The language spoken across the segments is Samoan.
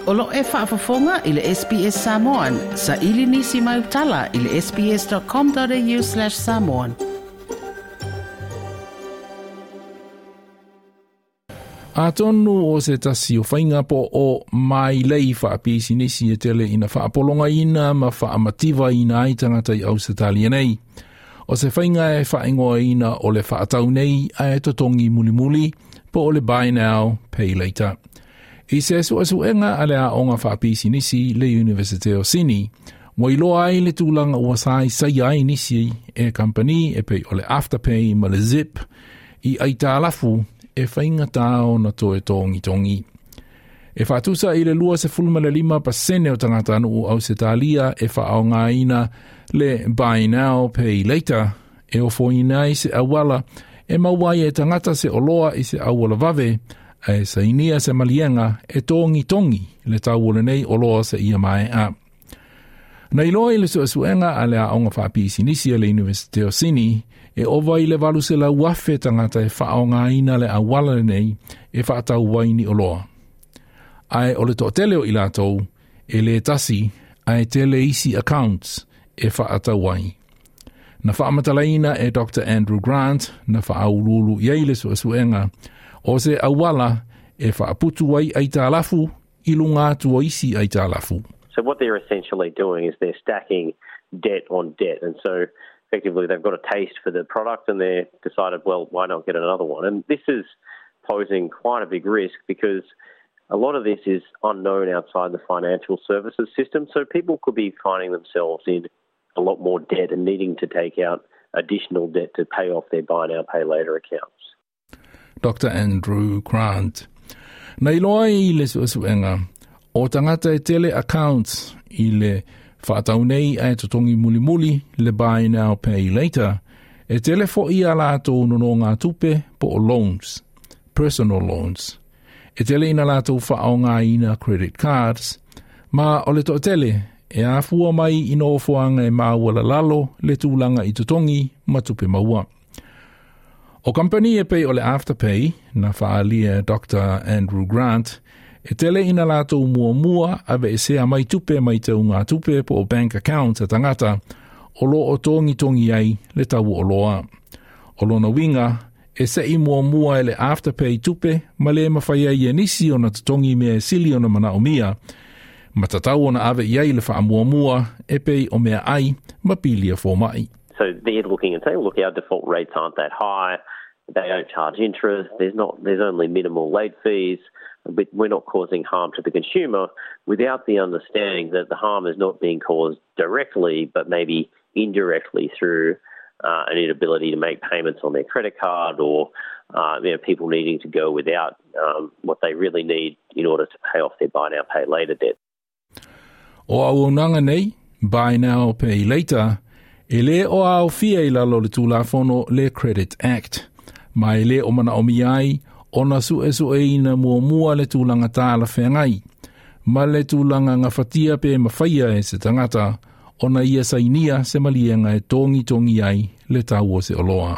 O lo e faafofoga i le SBS Samoan. Sa ili nisi mai utala i le sbs.com.au/samoan. Atonu o se tasi o whainga po o mai lei whaapisinisi e tele ina whaapolonga ina ma whaamativa ina ai tangata i Ausetalia nei. O se whainga e whaingoa ina o le whaatau nei a e totongi mulimuli po o le buy now, pay later. I se suesuega a le aoga faapisinisi le Universite o Sini, ua iloa ai le tulaga ua saisai ai nisi e kampani e pei o le Afterpay ma le Zip i aitalafu e faigatā ona toe togitogi. E faatusa i le 25% o tagatanuu Ausetalia e faaaogaina le buy now pay later e ofoina ai se auala e maua ai e tagata se oloa i se auala vave ae sainia se maliega e togitogi le tau o lenei oloa seia mae'a. Na iloa i le suesuega a le aoga faapisinisi a le Universite o Sini, e ova i le 800,000 tagata e faaaogaina le auala lenei e faatau ai ni oloa. Ae o le toatele o i latou, e le tasi, ae tele isi accounts e faatau ai. Na faamatalaina e Dr. Andrew Grant na faauluulu i ai le suesuega o se auala e faaputu ai aitalafu i luga atu o isi aitalafu. So what they're essentially doing is they're stacking debt on debt. And so effectively they've got a taste for the product and they've decided, well, why not get another one? And this is posing quite a big risk because a lot of this is unknown outside the financial services system. So people could be finding themselves in a lot more debt and needing to take out additional debt to pay off their buy now, pay later accounts. Dr. Andrew Grant. Na iloa ai i le suesuega, o tagata e tele accounts i le faatau nei ae totogi mulimuli le buy now pay later, e tele fo'i a latou nonogatupe po o loans, personal loans. E tele ina latou faaaogaina credit cards, ma o le toatele e afua mai i nofoaga e maualalalo le tulaga i totogi ma tupe maua. O kampani e pei o le Afterpay, na faaalia Dr. Andrew Grant, e tele ina latou muamua aveesea mai tupe mai teugatupe po o bank account a tagata o lo o togitogi ai le tau o oloa. O lona uiga, e sei muamua e le Afterpay tupe ma le mafai ai e nisi ona totogi mea e sili ona manaomia, ma tatau ona ave i ai le faamuamua e pei o meaai ma pili a fomai. So they're looking and saying, look, our default rates aren't that high. They don't charge interest. There's not. There's only minimal late fees. But we're not causing harm to the consumer without the understanding that the harm is not being caused directly, but maybe indirectly through an inability to make payments on their credit card or people needing to go without what they really need in order to pay off their buy now, pay later debt. O auaunaga nei, buy now, pay later, e le o aofia i lalo o le Tulafono le Credit Act, ma e le o manaomia ai ona suesueina muamua le tulaga talafeagai, ma le tulaga gafatia pe mafaia e se tagata ona ia sainia se maliega e togitogi ai le tau o se oloa.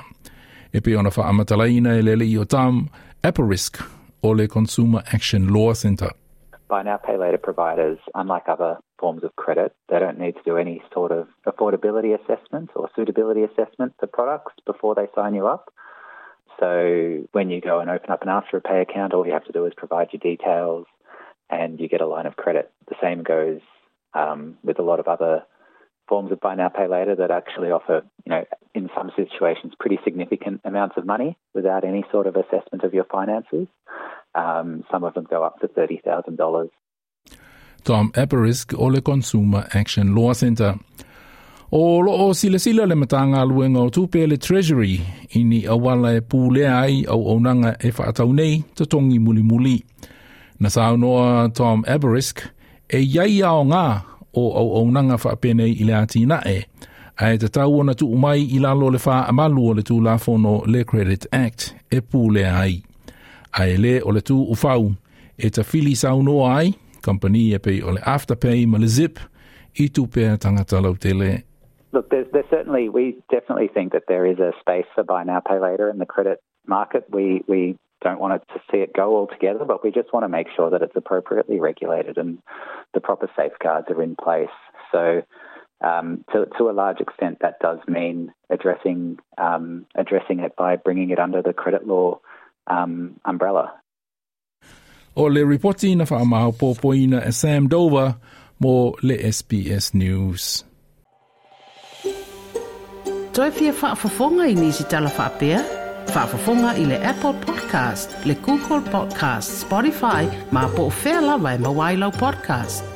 E pei ona faamatalaina e le alii o Tom Aperisk o le Consumer Action Law Centre. Buy now, pay later providers, unlike other forms of credit, they don't need to do any sort of affordability assessment or suitability assessment for products before they sign you up. So when you go and open up an Afterpay account, all you have to do is provide your details and you get a line of credit. The same goes with a lot of other forms of buy now, pay later that actually offer, in some situations, pretty significant amounts of money without any sort of assessment of your finances. Some of them go up to $30,000. Tom Aperisk o le Consumer Action Law Centre. O lo o silasila le Matagaluega o Tupe le Treasury i ni auala e pulea ai auaunaga e faatau nei totogi mulimuli. Na saunoa Tom Aberisk e i ai aoga o auaunaga faapenei i le atinae, ae tatau ona tuu mai i lalo o le faamalu o le Tulafono le Credit Act e pulea ai. Ae le o le tuufau e tafili saunoa ai kampani e pei o le Afterpay ma le Zip i tupe a tagata lautele. Look, there's certainly, we definitely think that there is a space for buy now, pay later in the credit market. We don't want it to see it go altogether, but we just want to make sure that it's appropriately regulated and the proper safeguards are in place. So to a large extent, that does mean addressing it by bringing it under the credit law umbrella. O le ripoti na whaamaopopoina e Sam Dover mo le SBS News. Toe fia faafofoga i nisi tala faapea? Faafofoga i le Apple Podcast, le Google Podcast, Spotify, ma po o fea lava e maua ai lau podcast.